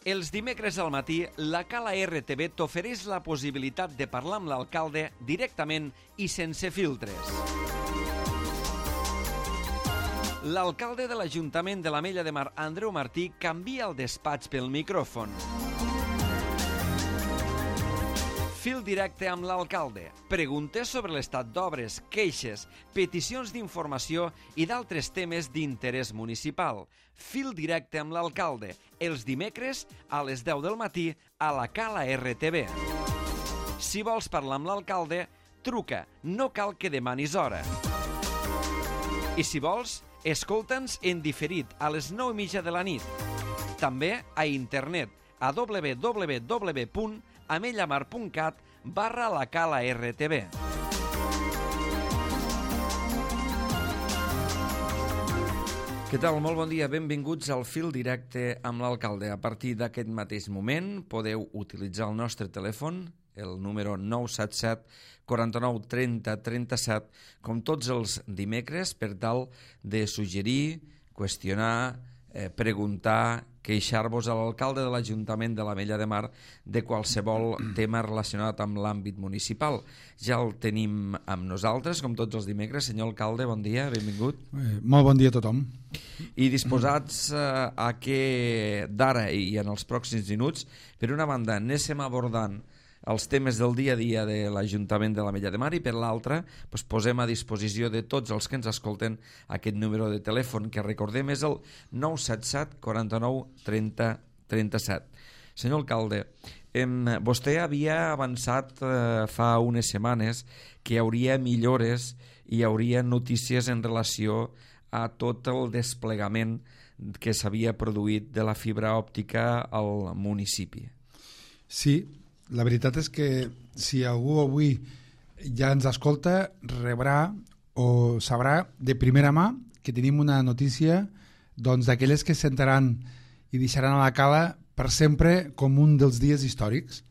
Els dimecres al matí, la Cala RTV t'ofereix la possibilitat de parlar amb l'alcalde directament i sense filtres. L'alcalde de l'Ajuntament de l'Ametlla de Mar, Andreu Martí, canvia el despatx pel micròfon. Fil directe amb l'alcalde. Preguntes sobre l'estat d'obres, queixes, peticions d'informació i d'altres temes d'interès municipal. Fil directe amb l'alcalde. Els dimecres a les 10 del matí a la Cala RTV. Si vols parlar amb l'alcalde, truca. No cal que demanis hora. I si vols, escolta'ns en diferit a les 9:30 de la nit. També a internet a www.amellamar.cat/la Cala RTV. Què tal? Molt bon dia. Benvinguts al Fil Directe amb l'alcalde. A partir d'aquest mateix moment podeu utilitzar el nostre telèfon, el número 977 49 30 37, com tots els dimecres, per tal de suggerir, qüestionar, preguntar, queixar-vos a l'alcalde de l'Ajuntament de l'Ametlla de Mar de qualsevol tema relacionat amb l'àmbit municipal. Ja el tenim amb nosaltres, com tots els dimecres. Senyor alcalde, bon dia, benvingut. Molt bon dia a tothom. I disposats a que d'ara i en els pròxims minuts, per una banda, anéssim abordant els temes del dia a dia de l'Ajuntament de l'Ametlla de Mar i per l'altra posem a disposició de tots els que ens escolten aquest número de telèfon que recordem és el 977 49 30 37. Senyor alcalde, vostè havia avançat fa unes setmanes que hi hauria millores i hi hauria notícies en relació a tot el desplegament que s'havia produït de la fibra òptica al municipi. Sí, la veritat és que si algú avui ja ens escolta, rebrà o sabrà de primera mà que tenim una notícia d'aquelles que sentaran i deixaran a la Cala per sempre com un dels dies històrics.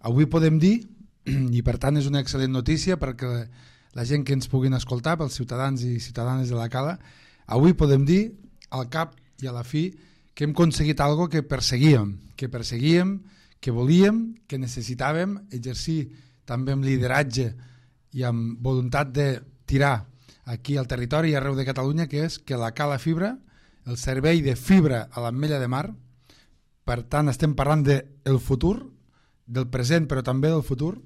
Avui podem dir, i per tant és una excel·lent notícia perquè la gent que ens puguin escoltar, pels ciutadans i ciutadanes de la Cala, avui podem dir al cap i a la fi que hem aconseguit alguna que perseguíem, que volíem, que necessitàvem exercir també amb lideratge i amb voluntat de tirar aquí al territori i arreu de Catalunya, que és que la Cala Fibra, el servei de fibra a l'Ametlla de Mar, per tant estem parlant del futur, del present però també del futur,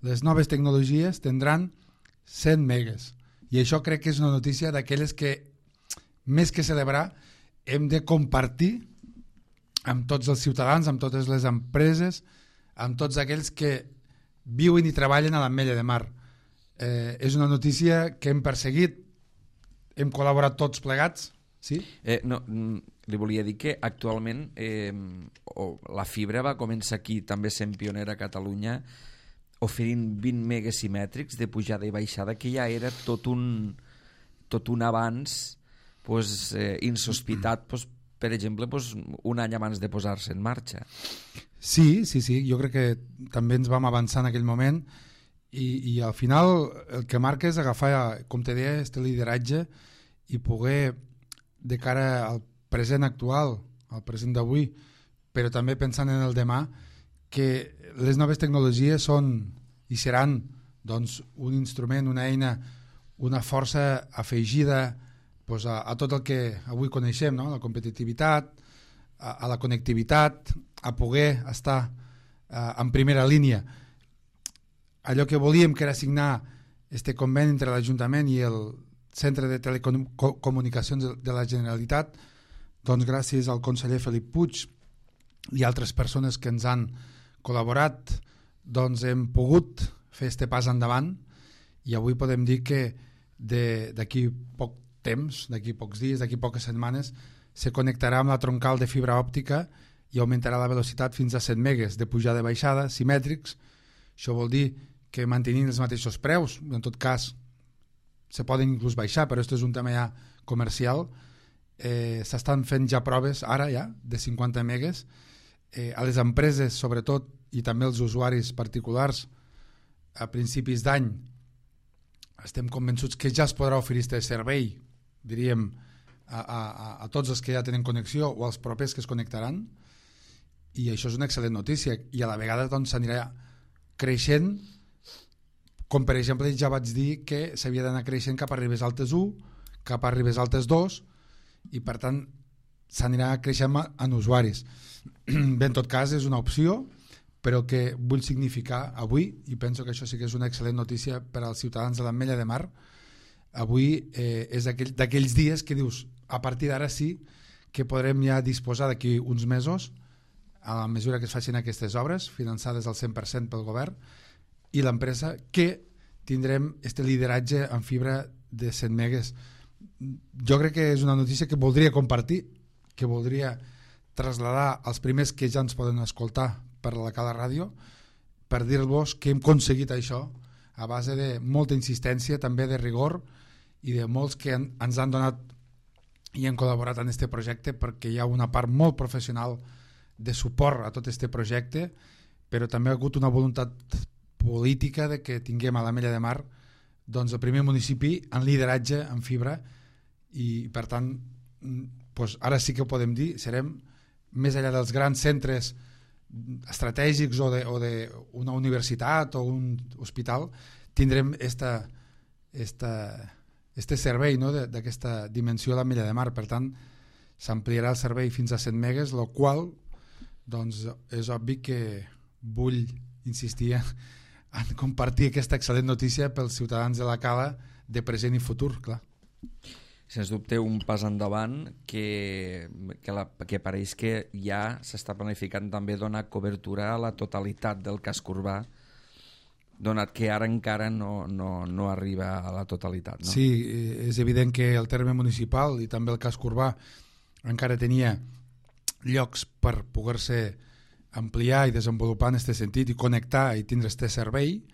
les noves tecnologies tindran 100 megas. I això crec que és una notícia d'aquelles que, més que celebrar, hem de compartir amb tots els ciutadans, amb totes les empreses, amb tots aquells que viuen i treballen a l'Ametlla de Mar. És una notícia que hem perseguit, hem col·laborat tots plegats, sí? Li volia dir que actualment la fibra va començar aquí, també sent pionera a Catalunya, oferint 20 megas simètrics de pujada i baixada, que ja era tot un avanç insospitat, per exemple, un any abans de posar-se en marxa. Sí, jo crec que també ens vam avançar en aquell moment i al final el que marca és agafar, com te deia, este lideratge i poder, de cara al present actual, al present d'avui, però també pensant en el demà, que les noves tecnologies són i seran un instrument, una eina, una força afegida a tot el que avui coneixem, no? La competitivitat, a la connectivitat, a poder estar en primera línia. Allò que volíem, que era signar este conveni entre l'Ajuntament i el Centre de Telecomunicacions de la Generalitat, gràcies al conseller Felip Puig i altres persones que ens han col·laborat, hem pogut fer este pas endavant i avui podem dir que d'aquí poc temps, d'aquí pocs dies, d'aquí poques setmanes, se connectarà amb la troncal de fibra òptica i augmentarà la velocitat fins a 100 megas de pujada i baixada, simètrics. Això vol dir que mantenint els mateixos preus, en tot cas se poden inclús baixar, però això és un tema ja comercial. S'estan fent ja proves, ara ja, de 50 megas. A les empreses, sobretot, i també als usuaris particulars, a principis d'any, estem convençuts que ja es podrà oferir aquest servei, diríem, a tots els que ja tenen connexió o als propers que es connectaran, i això és una excel·lent notícia, i a la vegada doncs s'anirà creixent, com per exemple ja vaig dir que s'havia d'anar creixent cap a Ribes Altes 1, cap a Ribes Altes 2, i per tant s'anirà creixent en usuaris. Bé, en tot cas és una opció, però que vull significar avui, i penso que això sí que és una excel·lent notícia per als ciutadans de l'Ametlla de Mar, avui és d'aquells dies que dius, a partir d'ara sí que podrem ja disposar d'aquí uns mesos, a la mesura que es facin aquestes obres, finançades al 100% pel govern, i l'empresa, que tindrem este lideratge en fibra de 100 megues. Jo crec que és una notícia que voldria compartir, que voldria traslladar als primers que ja ens poden escoltar per la Cala Ràdio, per dir-vos que hem aconseguit això a base de molta insistència, també de rigor, i de molts que ens han donat i han col·laborat en aquest projecte, perquè hi ha una part molt professional de suport a tot aquest projecte, però també ha hagut una voluntat política de que tinguem a l'Ametlla de Mar doncs, el primer municipi en lideratge en fibra, i per tant doncs, ara sí que ho podem dir, serem més enllà dels grans centres estratègics o d'una universitat o un hospital, tindrem este servei, no, d'aquesta dimensió a l'Ametlla de Mar. Per tant, s'ampliarà el servei fins a 100 megues, el qual doncs, és obvi que vull insistir en compartir aquesta excel·lent notícia pels ciutadans de la Cala de present i futur, clar. Sens dubte un pas endavant que pareix que ja s'està planificant també donar cobertura a la totalitat del casc urbà, donat que ara encara no arriba a la totalitat. No? Sí, és evident que el terme municipal i també el casc urbà encara tenia llocs per poder-se ampliar i desenvolupar en aquest sentit i connectar i tindre aquest servei,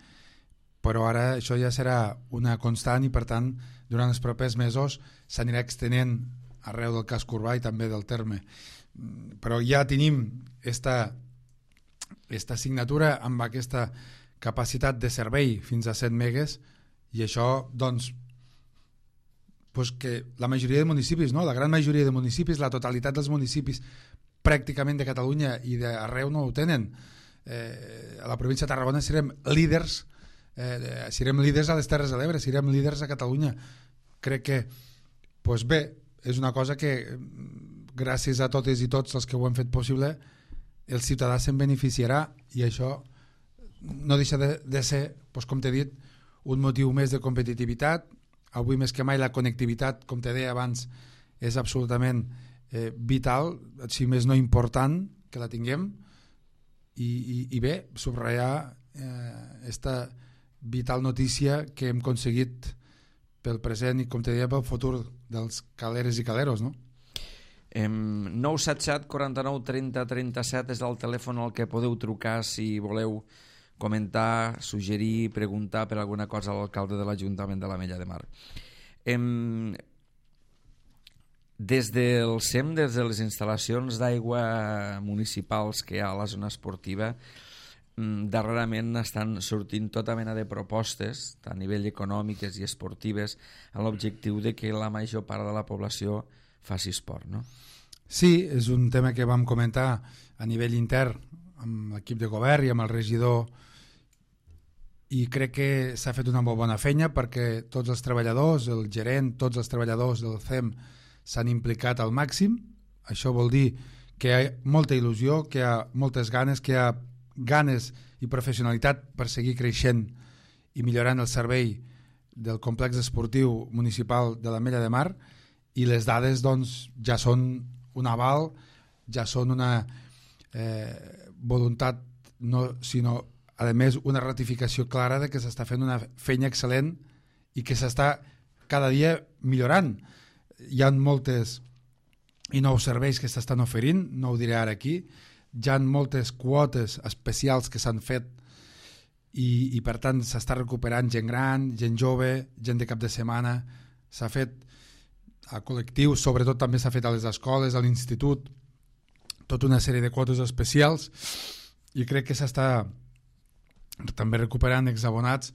però ara això ja serà una constant i per tant durant els propers mesos s'anirà extenent arreu del casc urbà i també del terme. Però ja tenim esta assignatura amb aquesta capacitat de servei fins a 100 megues, i això doncs que la majoria de municipis, no? La gran majoria de municipis, la totalitat dels municipis pràcticament de Catalunya i d'arreu no ho tenen. A la província de Tarragona serem líders a les Terres de l'Ebre, serem líders a Catalunya. Crec que bé, és una cosa que gràcies a totes i tots els que ho han fet possible el ciutadà se'n beneficiarà, i això no deixa de ser, com t'he dit, un motiu més de competitivitat. Avui més que mai la connectivitat, com te deia abans, és absolutament vital, si més no important, que la tinguem, i bé, subratllar esta vital notícia que hem aconseguit pel present i, com te deia, pel futur dels caleres i caleros, no? 977 49 30 37 és el telèfon al que podeu trucar si voleu comentar, suggerir, preguntar per alguna cosa a l'alcalde de l'Ajuntament de l'Ametlla de Mar. Des del SEM, des de les instal·lacions d'aigua municipals que hi ha a la zona esportiva, darrerament estan sortint tota mena de propostes a nivell econòmiques i esportives amb l'objectiu de que la major part de la població faci esport, no? Sí, és un tema que vam comentar a nivell intern amb l'equip de govern i amb el regidor, i crec que s'ha fet una molt bona feina perquè tots els treballadors, el gerent, tots els treballadors del CEM s'han implicat al màxim. Això vol dir que hi ha molta il·lusió, que hi ha moltes ganes, que hi ha ganes i professionalitat per seguir creixent i millorant el servei del complex esportiu municipal de l'Ametlla de Mar, i les dades doncs, ja són un aval, ja són una voluntat, no, sinó a més una ratificació clara de que s'està fent una feina excel·lent i que s'està cada dia millorant. Hi ha moltes i nous serveis que s'estan oferint, no ho diré ara aquí, hi ha moltes quotes especials que s'han fet i per tant s'està recuperant gent gran, gent jove, gent de cap de setmana, s'ha fet a col·lectius, sobretot també s'ha fet a les escoles, a l'institut, tota una sèrie de quotes especials, i crec que s'està també recuperant exabonats.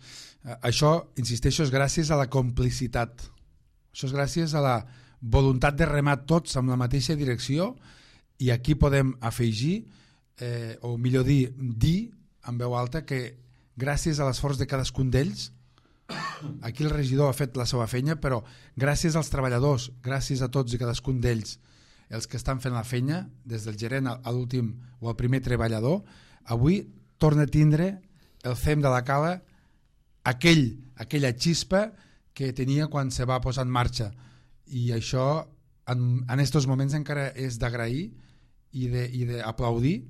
Això, insisteixo, és gràcies a la complicitat, això és gràcies a la voluntat de remar tots amb la mateixa direcció, i aquí podem afegir o millor dir en veu alta, que gràcies a l'esforç de cadascun d'ells, aquí el regidor ha fet la seva feina, però gràcies als treballadors, gràcies a tots i cadascun d'ells, els que estan fent la feina, des del gerent a l'últim o al primer treballador, avui torna a tindre el CEM de la Cala aquella xispa que tenia quan se va posar en marxa, i això en aquests moments encara és d'agrair i d'aplaudir,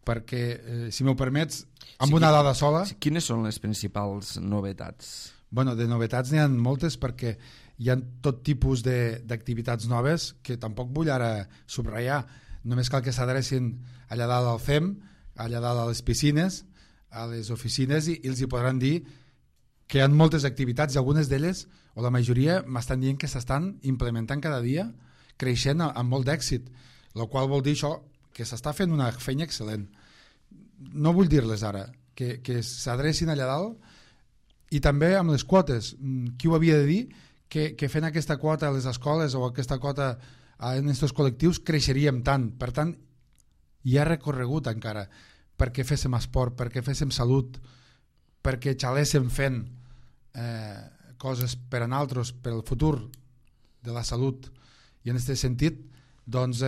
perquè, si m'ho permets, amb una dada sola... Quines són les principals novetats? Bueno, de novetats n'hi ha moltes, perquè hi ha tot tipus d'activitats noves que tampoc vull ara subratllar. Només cal que s'adrecin allà dalt al CEM, allà dalt a les piscines, a les oficines, i els hi podran dir que hi ha moltes activitats, i algunes d'elles, o la majoria, m'estan dient que s'estan implementant cada dia, creixent amb molt d'èxit, el qual vol dir això, que s'està fent una feina excel·lent. No vull dir-les ara, que s'adrecin allà dalt, i també amb les quotes. Qui ho havia de dir? Que fent aquesta quota a les escoles o aquesta quota en aquests col·lectius creixeríem tant. Per tant, hi ha recorregut encara perquè féssim esport, perquè féssim salut, perquè xaléssim fent coses per a nosaltres, per al futur de la salut. I en aquest sentit, doncs,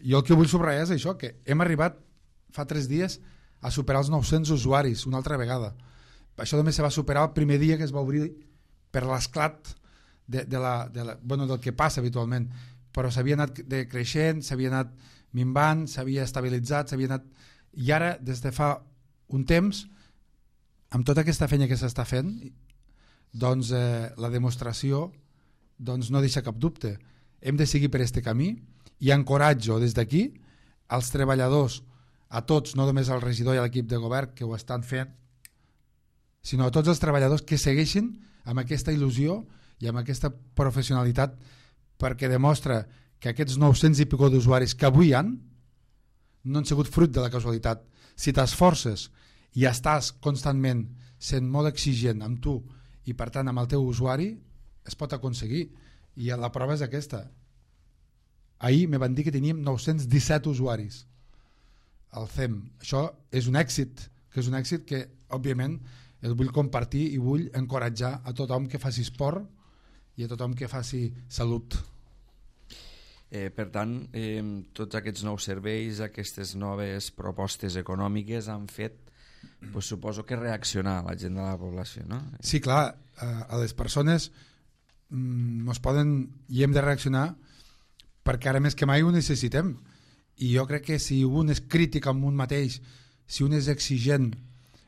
jo el que vull subratllar és això, que hem arribat fa 3 dies a superar els 900 usuaris una altra vegada. Això només se va superar el primer dia que es va obrir per l'esclat del que passa habitualment, però s'havia anat creixent, s'havia anat minvant, s'havia estabilitzat, i ara, des de fa un temps, amb tota aquesta feina que s'està fent, doncs la demostració no deixa cap dubte. Hem de seguir per aquest camí, i encoratjo des d'aquí als treballadors, a tots, no només al regidor i a l'equip de govern que ho estan fent, sinó a tots els treballadors que segueixin amb aquesta il·lusió i amb aquesta professionalitat, perquè demostra que aquests 900 i pico d'usuaris que avui han no han sigut fruit de la casualitat. Si t'esforces i estàs constantment sent molt exigent amb tu i per tant amb el teu usuari, es pot aconseguir, i la prova és aquesta. Ahir me van dir que teníem 917 usuaris al CEM. Això és un èxit, que òbviament el vull compartir i vull encoratjar a tothom que faci esport i a tothom que faci salut. Per tant, tots aquests nous serveis, aquestes noves propostes econòmiques han fet, suposo que reaccionar a la gent de la població, no? Sí, clar, a les persones ens poden i hem de reaccionar, perquè ara més que mai ho necessitem, i jo crec que si un és crític amb un mateix, si un és exigent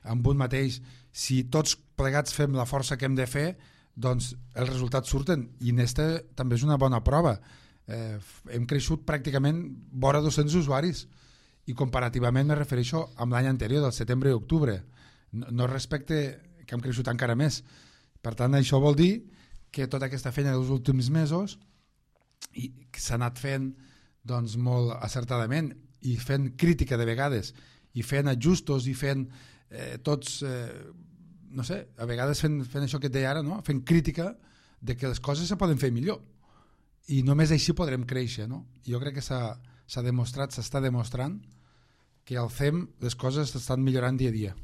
amb un mateix, si tots plegats fem la força que hem de fer, doncs els resultats surten, i aquesta també és una bona prova. Hem creixut pràcticament vora 200 usuaris, i comparativament me refereixo amb l'any anterior, del setembre i octubre, no respecte que hem creixut encara més. Per tant, això vol dir que tota aquesta feina dels últims mesos i que s'ha anat fent doncs, molt acertadament, i fent crítica de vegades, i fent ajustos, i fent tots, no sé, a vegades fent això que et deia ara, no? Fent crítica de que les coses se poden fer millor, i només així podrem créixer, no? Jo crec que s'ha demostrat, s'està demostrant que al CEM les coses estan millorant dia a dia.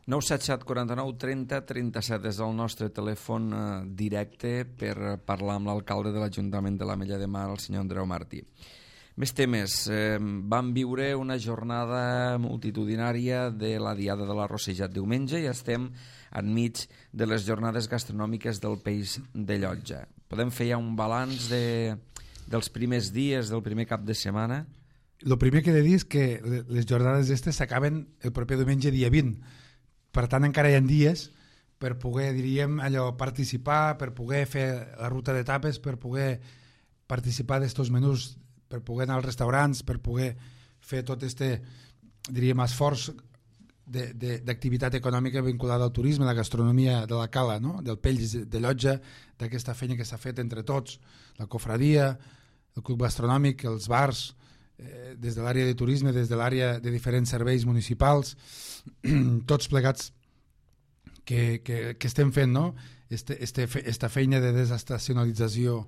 977 49 30 37 és el nostre telèfon directe per parlar amb l'alcalde de l'Ajuntament de l'Ametlla de Mar, el senyor Andreu Martí. Més temes. Vam viure una jornada multitudinària de la Diada de l'Arrossejat diumenge i estem enmig de les jornades gastronòmiques del Peix de Llotja. Podem fer ja un balanç dels primers dies, del primer cap de setmana? El primer que he de dir és que les jornades aquestes s'acaben el proper diumenge dia 20. Per tant, encara hi ha dies per poder, diríem, participar, per poder fer la ruta d'etapes, per poder participar d'estos menús, per poder anar als restaurants, per poder fer tot diríem, esforç d'activitat econòmica vinculada al turisme, a la gastronomia de la Cala, no? Del Peix de Llotja, d'aquesta feina que s'ha fet entre tots, la cofradia, el club gastronòmic, els bars, des de l'àrea de turisme, des de l'àrea de diferents serveis municipals, tots plegats que estem fent, no? Esta feina de desestacionalització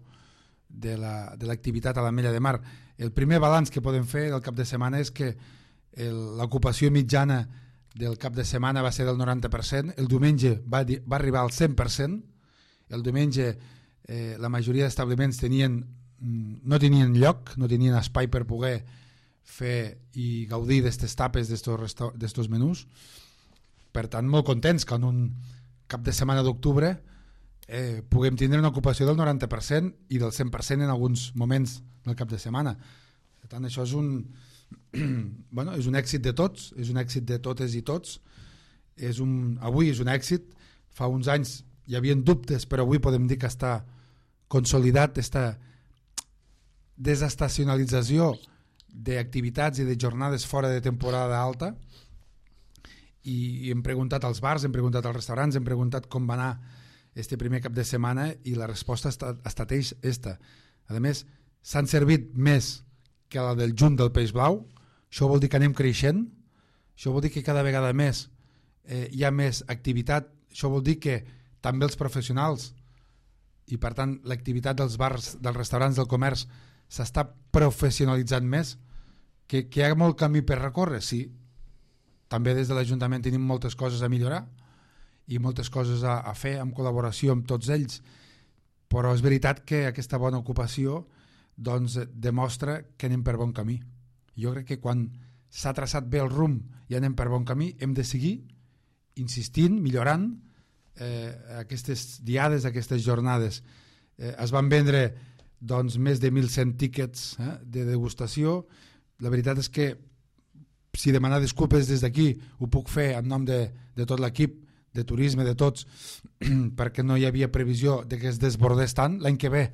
de l'activitat a l'Ametlla de Mar. El primer balanç que podem fer del cap de setmana és que l'ocupació mitjana del cap de setmana va ser del 90%, el diumenge va arribar al 100%, el diumenge la majoria d'establiments no tenien lloc, no tenien espai per poder fer i gaudir d'aquestes tapes, d'aquests menús. Per tant, molt contents que en un cap de setmana d'octubre puguem tindre una ocupació del 90% i del 100% en alguns moments del cap de setmana. Per tant, això és és un èxit de tots, és un èxit de totes i tots. Avui és un èxit. Fa uns anys hi havia dubtes, però avui podem dir que està consolidat aquesta desestacionalització d'activitats i de jornades fora de temporada alta, i hem preguntat als bars, hem preguntat als restaurants, hem preguntat com va anar este primer cap de setmana i la resposta ha estat esta. A més, s'han servit més que la del juny del peix blau. Això vol dir que anem creixent, això vol dir que cada vegada més hi ha més activitat, això vol dir que també els professionals i per tant l'activitat dels bars, dels restaurants, del comerç s'està professionalitzant més, que hi ha molt camí per recórrer, sí. També des de l'Ajuntament tenim moltes coses a millorar i moltes coses a fer en col·laboració amb tots ells, però és veritat que aquesta bona ocupació doncs, demostra que anem per bon camí. Jo crec que quan s'ha traçat bé el rumb i anem per bon camí hem de seguir insistint, millorant aquestes diades, aquestes jornades. Es van vendre doncs, més de 1.100 tíquets de degustació. La veritat és que si demanar disculpes des d'aquí ho puc fer en nom de tot l'equip de turisme, de tots, perquè no hi havia previsió de que es desbordés tant. L'any que ve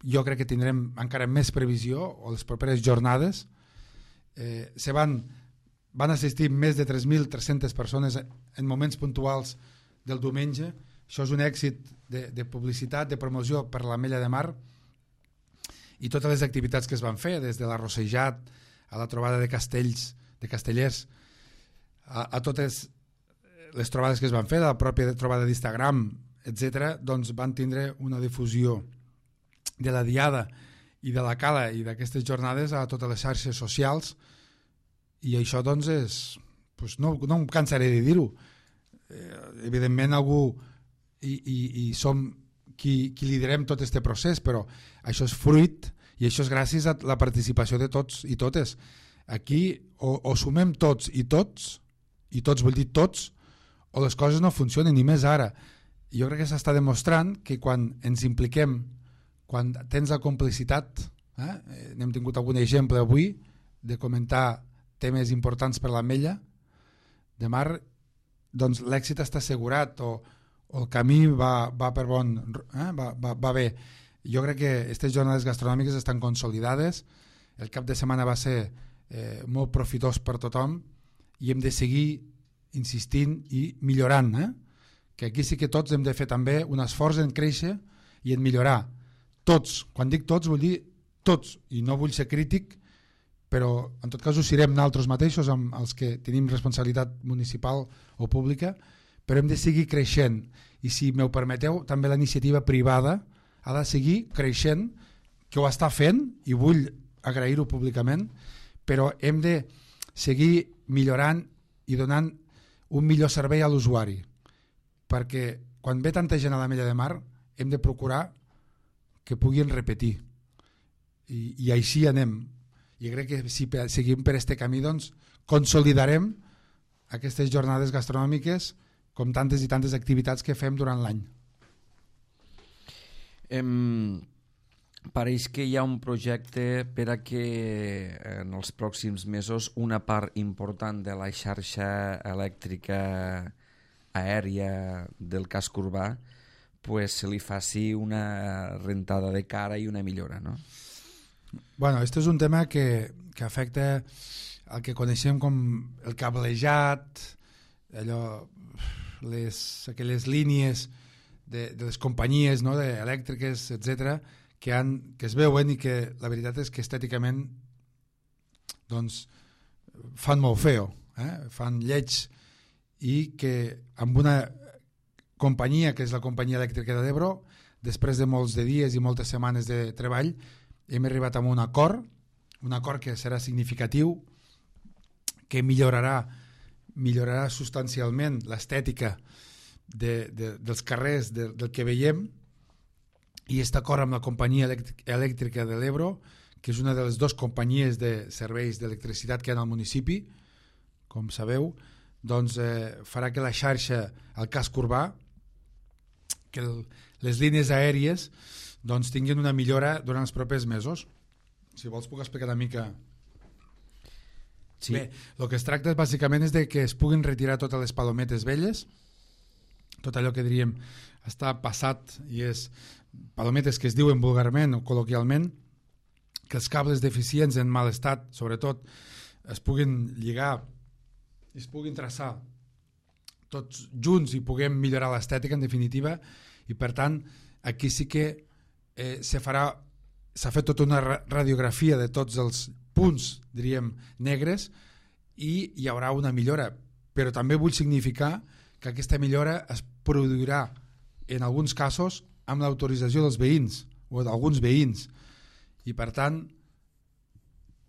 jo crec que tindrem encara més previsió, o les properes jornades. Van assistir més de 3.300 persones en moments puntuals del diumenge. Això és un èxit de publicitat, de promoció per l'Ametlla de Mar, i totes les activitats que es van fer, des de l'arrossejat a la trobada de castells, de castellers, a totes les trobades que es van fer, la pròpia trobada d'Instagram, etc., doncs van tindre una difusió de la diada i de la cala i d'aquestes jornades a totes les xarxes socials, i això doncs és, no em cansaré de dir-ho, evidentment algú i som qui liderem tot aquest procés, però això és fruit i això és gràcies a la participació de tots i totes. Aquí o sumem tots i tots vull dir tots, o les coses no funcionen, i més ara. Jo crec que s'està demostrant que quan ens impliquem, quan tens la complicitat, n'hem tingut algun exemple avui de comentar temes importants per l'Ametlla de Mar, doncs l'èxit està assegurat, o el camí va per bon, va bé. Jo crec que aquestes jornades gastronòmiques estan consolidades, el cap de setmana va ser molt profitós per tothom i hem de seguir insistint i millorant, que aquí sí que tots hem de fer també un esforç en créixer i en millorar. Tots, quan dic tots vull dir tots, i no vull ser crític, però en tot cas ho serem nosaltres mateixos, amb els que tenim responsabilitat municipal o pública, però hem de seguir creixent, i si m'ho permeteu també la iniciativa privada ha de seguir creixent, que ho està fent i vull agrair-ho públicament, però hem de seguir millorant i donant un millor servei a l'usuari, perquè quan ve tanta gent a l'Ametlla de Mar hem de procurar que puguin repetir, i així anem. I crec que si seguim per este camí doncs consolidarem aquestes jornades gastronòmiques com tantes i tantes activitats que fem durant l'any. Pareix que hi ha un projecte per a que en els pròxims mesos una part important de la xarxa elèctrica aèria del casc urbà pues, se li faci una rentada de cara i una millora, no? Bueno, este és un tema que afecta el que coneixem com el cablejat, aquelles línies de les companyies, no, elèctriques, etc., que es veuen i que la veritat és que estèticament doncs, fan molt feo, fan lleig, i que amb una companyia que és la companyia elèctrica de l'Ebro, després de molts de dies i moltes setmanes de treball, hem arribat a un acord que serà significatiu que millorarà substancialment l'estètica dels carrers del que veiem, i està d'acord amb la companyia elèctrica de l'Ebro, que és una de les dues companyies de serveis d'electricitat que hi ha al municipi, com sabeu, doncs farà que la xarxa, el casc urbà, que les línies aèries doncs tinguin una millora durant els propers mesos. Si vols puc explicar una mica. Sí. Bé, el que es tracta bàsicament és de que es puguin retirar totes les palometes velles, tot allò que diríem està passat, i és palometes que es diuen vulgarment o col·loquialment, que els cables deficients en mal estat, sobretot, es puguin lligar i es puguin traçar tots junts i puguem millorar l'estètica, en definitiva, i per tant aquí sí que s'ha fet tota una radiografia de tots els punts, diríem, negres, i hi haurà una millora, però també vull significar que aquesta millora es produirà en alguns casos amb l'autorització dels veïns o d'alguns veïns, i per tant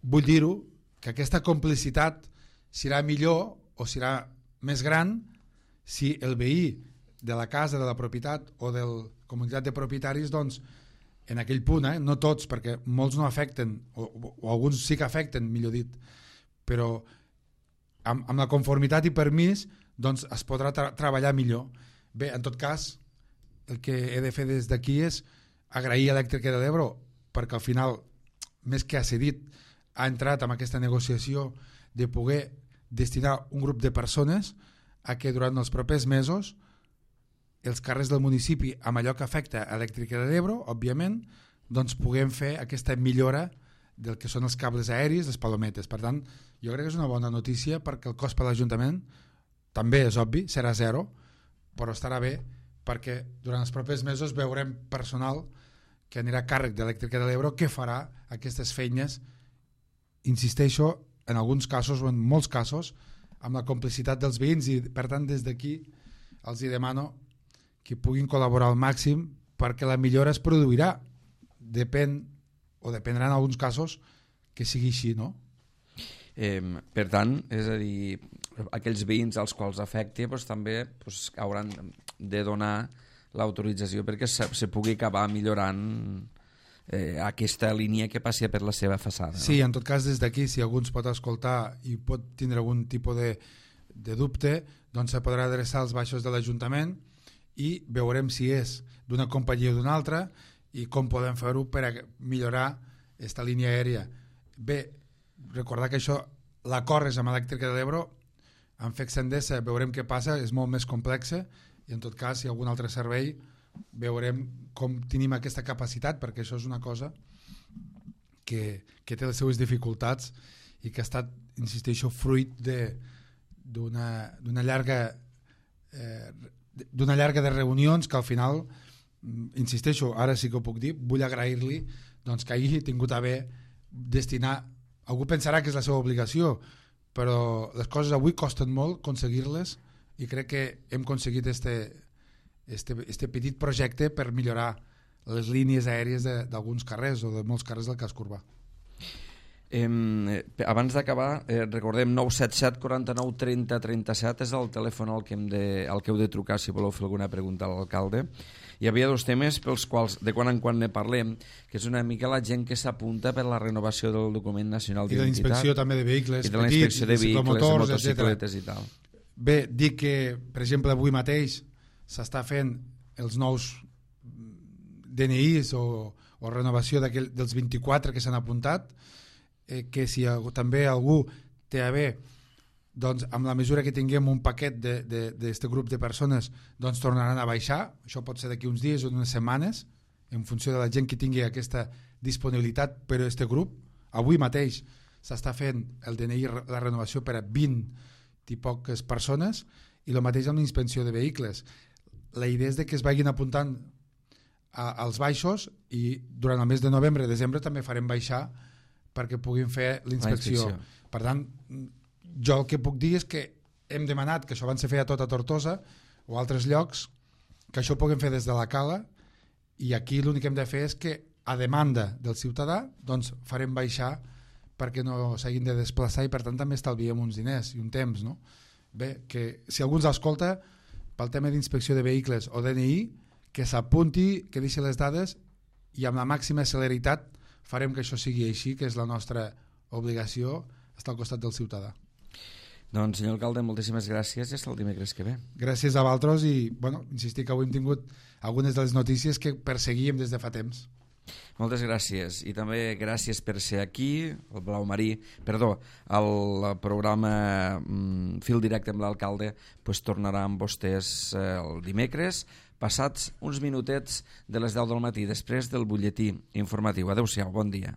vull dir-ho, que aquesta complicitat serà millor o serà més gran si el veí de la casa, de la propietat o de la comunitat de propietaris, doncs en aquell punt, no tots, perquè molts no afecten, o alguns sí que afecten, millor dit, però amb la conformitat i permís doncs es podrà treballar millor. Bé, en tot cas, el que he de fer des d'aquí és agrair a Elèctrica de l'Ebro, perquè al final, més que ha cedit, ha entrat en aquesta negociació de poder destinar un grup de persones a que durant els propers mesos els carrers del municipi, amb allò que afecta a Elèctrica de l'Ebro, òbviament, doncs puguem fer aquesta millora del que són els cables aèris, les palometes. Per tant, jo crec que és una bona notícia, perquè el cost per l'Ajuntament també és obvi, serà zero, però estarà bé perquè durant els propers mesos veurem personal que anirà a càrrec d'Elèctrica de l'Ebro que farà aquestes feines, insisteixo, en alguns casos o en molts casos, amb la complicitat dels veïns, i per tant des d'aquí els hi demano que puguin col·laborar al màxim perquè la millora es produirà. Dependrà en alguns casos que sigui així, no? Per tant, és a dir, aquells veïns als quals afecti doncs, també hauran de donar l'autorització perquè se pugui acabar millorant aquesta línia que passi per la seva façana. Sí, en tot cas, des d'aquí, si algú ens pot escoltar i pot tindre algun tipus de dubte, doncs se podrà adreçar als baixos de l'Ajuntament i veurem si és d'una companyia o d'una altra i com podem fer-ho per a millorar aquesta línia aèria. Bé, recordar que això, l'acord és amb Elèctrica de l'Ebro, amb FEX Endesa veurem què passa, és molt més complexa, i en tot cas, si hi ha algun altre servei, veurem com tenim aquesta capacitat, perquè això és una cosa que té les seues dificultats i que ha estat, insisteixo, fruit d'una llarga de reunions que al final, insisteixo, ara sí que ho puc dir, vull agrair-li doncs, que hagi tingut a bé destinar, algú pensarà que és la seva obligació, però les coses avui costen molt aconseguir-les, i crec que hem aconseguit este petit projecte per millorar les línies aèries d'alguns carrers o de molts carrers del casc urbà. Abans d'acabar, recordem 977 49 30 37 és el telèfon al que heu de trucar si voleu fer alguna pregunta a l'alcalde. Hi havia dos temes pels quals de quan en quan ne parlem, que és una mica la gent que s'apunta per la renovació del document nacional d'identitat. I de la inspecció també de vehicles petits, i de la inspecció de vehicles, de motocicletes i tal. Bé, dic que, per exemple, avui mateix s'està fent els nous DNIs o renovació dels 24 que s'han apuntat, que si també algú té a bé, doncs amb la mesura que tinguem un paquet d'aquest grup de persones, doncs tornaran a baixar. Això pot ser d'aquí uns dies o unes setmanes, en funció de la gent que tingui aquesta disponibilitat per a aquest grup. Avui mateix s'està fent el DNI, la renovació per a 20 i poques persones, i el mateix amb l'inspecció de vehicles. La idea és que es vagin apuntant als baixos, i durant el mes de novembre i desembre també farem baixar perquè puguin fer l'inspecció. Per tant, jo el que puc dir és que hem demanat que això abans se feia tot a Tortosa o altres llocs, que això ho puguem fer des de la Cala, i aquí l'únic que hem de fer és que, a demanda del ciutadà, doncs farem baixar perquè no s'hagin de desplaçar i per tant també estalviem uns diners i un temps, no? Bé, que si algú ens escolta pel tema d'inspecció de vehicles o DNI, que s'apunti, que deixi les dades i amb la màxima celeritat farem que això sigui així, que és la nostra obligació estar al costat del ciutadà. Doncs, senyor alcalde, moltíssimes gràcies i fins el dimecres que ve. Gràcies a vosaltres i, bueno, insistir que avui hem tingut algunes de les notícies que perseguíem des de fa temps. Moltes gràcies i també gràcies per ser aquí al programa Fil Directe amb l'alcalde tornarà amb vostès el dimecres passats uns minutets de les 10 del matí després del butlletí informatiu. Adéu-siau, bon dia.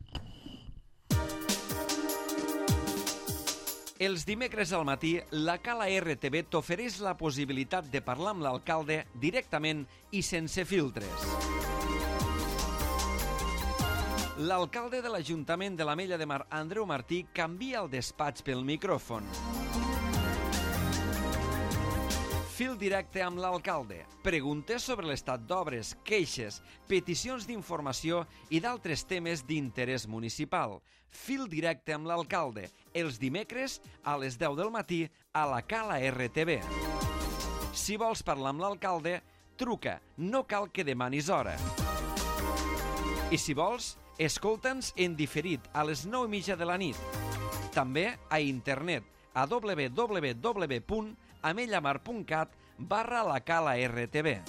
Els dimecres al matí, la Cala RTV t'ofereix la possibilitat de parlar amb l'alcalde directament i sense filtres. L'alcalde de l'Ajuntament de l'Ametlla de Mar, Andreu Martí, canvia el despatx pel micròfon. Fil directe amb l'alcalde. Preguntes sobre l'estat d'obres, queixes, peticions d'informació i d'altres temes d'interès municipal. Fil directe amb l'alcalde. Els dimecres a les 10 del matí a la Cala RTV. Si vols parlar amb l'alcalde, truca. No cal que demanis hora. I si vols, escolta'ns en diferit a les 9:30 de la nit. També a internet a www.amellamar.cat/la Cala RTV.